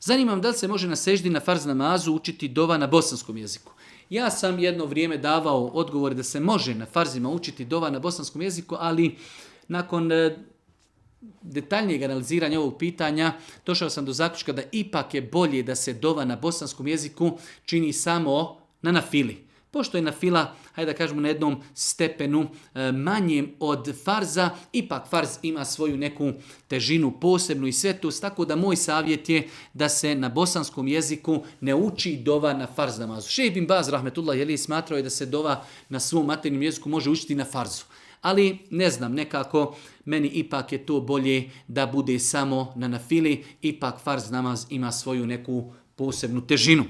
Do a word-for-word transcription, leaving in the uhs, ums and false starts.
Zanima me da li se može na seždi na farz namazu učiti dova na bosanskom jeziku. Ja sam jedno vrijeme davao odgovor da se može na farzima učiti dova na bosanskom jeziku, ali nakon detaljnijeg analiziranja ovog pitanja došao sam do zaključka da ipak je bolje da se dova na bosanskom jeziku čini samo na nafili. Pošto je nafila, hajde da kažemo, na jednom stepenu e, manjem od farza, ipak farz ima svoju neku težinu posebnu i svetost, tako da moj savjet je da se na bosanskom jeziku ne uči dova na farz namazu. Šejh bin Baz rahmetullah je smatrao je da se dova na svom materinjem jeziku može učiti na farzu. Ali ne znam, nekako meni ipak je to bolje da bude samo na nafili, ipak farz namaz ima svoju neku posebnu težinu.